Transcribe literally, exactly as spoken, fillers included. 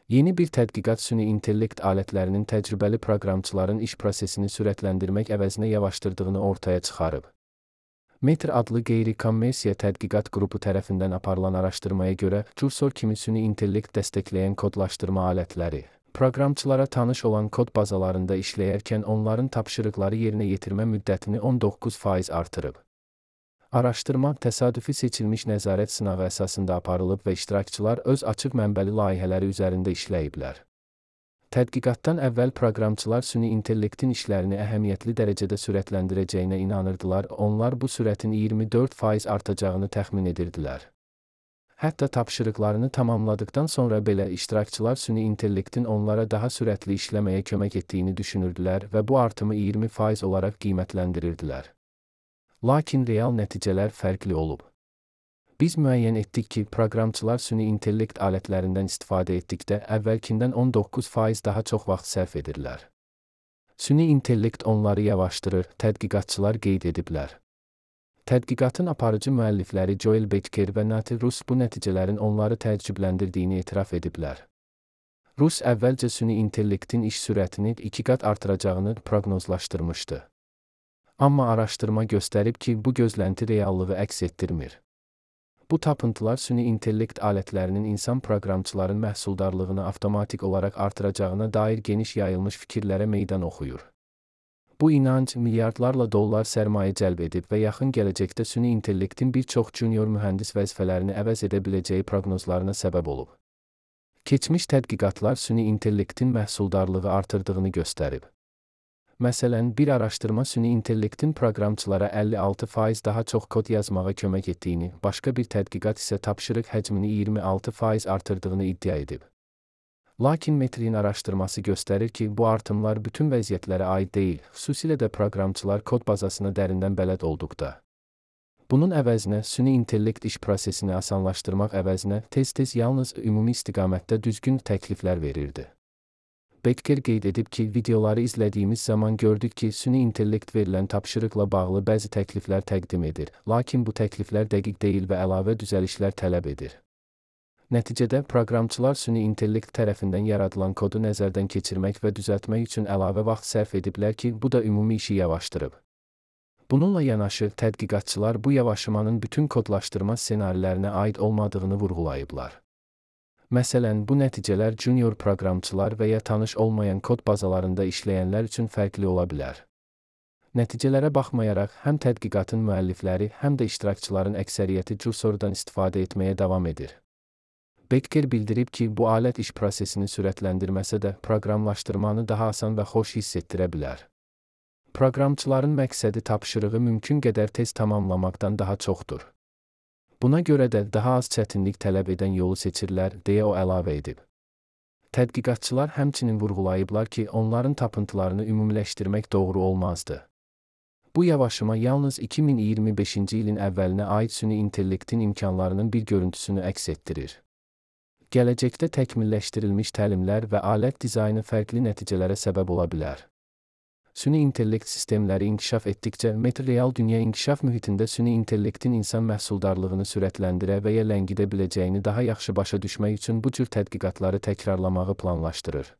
Yeni bir tədqiqat süni intellekt alətlərinin təcrübəli proqramçıların iş prosesini sürətləndirmək əvəzinə yavaşdırdığını ortaya çıxarıb. Metr adlı qeyri-kommersiya tədqiqat qrupu tərəfindən aparılan araşdırmaya görə, Cursor kimi süni intellekt dəstəkləyən kodlaşdırma alətləri, proqramçılara tanış olan kod bazalarında işləyərkən onların tapşırıqları yerinə yetirmə müddətini on doqquz faiz artırıb. Araşdırma təsadüfi seçilmiş nəzarət sınağı əsasında aparılıb və iştirakçılar öz açıq mənbəli layihələri üzərində işləyiblər. Tədqiqatdan əvvəl proqramçılar süni intellektin işlərini əhəmiyyətli dərəcədə sürətləndirəcəyinə inanırdılar, onlar bu sürətin iyirmi dörd faiz artacağını təxmin edirdilər. Hətta tapşırıqlarını tamamladıktan sonra belə iştirakçılar süni intellektin onlara daha sürətli işləməyə kömək etdiyini düşünürdülər və bu artımı iyirmi faiz olaraq qiymətləndirirdilər. Lakin real nəticələr fərqli olub. Biz müəyyən etdik ki, proqramçılar süni intellekt alətlərindən istifadə etdikdə əvvəlkindən on doqquz faiz daha çox vaxt sərf edirlər. Süni intellekt onları yavaşdırır, tədqiqatçılar qeyd ediblər. Tədqiqatın aparıcı müəllifləri Joel Becker və Nati Rus bu nəticələrin onları təəccübləndirdiyini etiraf ediblər. Rus əvvəlcə süni intellektin iş sürətini iki qat artıracağını proqnozlaşdırmışdı. Amma araşdırma göstərib ki, bu gözlənti reallığı əks etdirmir. Bu tapıntılar süni intellekt alətlərinin insan proqramçıların məhsuldarlığını avtomatik olaraq artıracağına dair geniş yayılmış fikirlərə meydan oxuyur. Bu inanc milyardlarla dollar sərmayə cəlb edib və yaxın gələcəkdə süni intellektin bir çox junior mühəndis vəzifələrini əvəz edə biləcəyi proqnozlarına səbəb olub. Keçmiş tədqiqatlar süni intellektin məhsuldarlığı artırdığını göstərib. Məsələn, bir araşdırma süni intellektin proqramçılara əlli altı faiz daha çox kod yazmağa kömək etdiyini, başqa bir tədqiqat isə tapşırıq həcmini iyirmi altı faiz artırdığını iddia edib. Lakin Metrin araşdırması göstərir ki, bu artımlar bütün vəziyyətlərə aid deyil, xüsusilə də proqramçılar kod bazasına dərindən bələd olduqda. Bunun əvəzinə süni intellekt iş prosesini asanlaşdırmaq əvəzinə tez-tez yalnız ümumi istiqamətdə düzgün təkliflər verirdi. Becker qeyd edib ki, videoları izlədiyimiz zaman gördük ki, süni intellekt verilən tapşırıqla bağlı bəzi təkliflər təqdim edir, lakin bu təkliflər dəqiq deyil və əlavə düzəlişlər tələb edir. Nəticədə, proqramçılar süni intellekt tərəfindən yaradılan kodu nəzərdən keçirmək və düzəltmək üçün əlavə vaxt sərf ediblər ki, bu da ümumi işi yavaşdırıb. Bununla yanaşı, tədqiqatçılar bu yavaşımanın bütün kodlaşdırma ssenarilərinə aid olmadığını vurğulayıblar. Məsələn, bu nəticələr junior proqramçılar və ya tanış olmayan kod bazalarında işləyənlər üçün fərqli ola bilər. Nəticələrə baxmayaraq, həm tədqiqatın müəllifləri, həm də iştirakçıların əksəriyyəti Cursordan istifadə etməyə davam edir. Becker bildirib ki, bu alət iş prosesini sürətləndirməsə də, proqramlaşdırmanı daha asan və xoş hiss etdirə bilər. Proqramçıların məqsədi tapşırığı mümkün qədər tez tamamlamaqdan daha çoxdur. Buna görə də daha az çətinlik tələb edən yolu seçirlər, deyə o əlavə edib. Tədqiqatçılar həmçinin vurğulayıblar ki, onların tapıntılarını ümumiləşdirmək doğru olmazdı. Bu yavaşıma yalnız iki min iyirmi beşinci ilin əvvəlinə aid süni intellektin imkanlarının bir görüntüsünü əks etdirir. Gələcəkdə təkmilləşdirilmiş təlimlər və alət dizaynı fərqli nəticələrə səbəb ola bilər. Süni intellekt sistemləri inkişaf etdikcə, Metr real dünya inkişaf mühitində süni intellektin insan məhsuldarlığını sürətləndirə və ya ləngidə biləcəyini daha yaxşı başa düşmək üçün bu cür tədqiqatları təkrarlamağı planlaşdırır.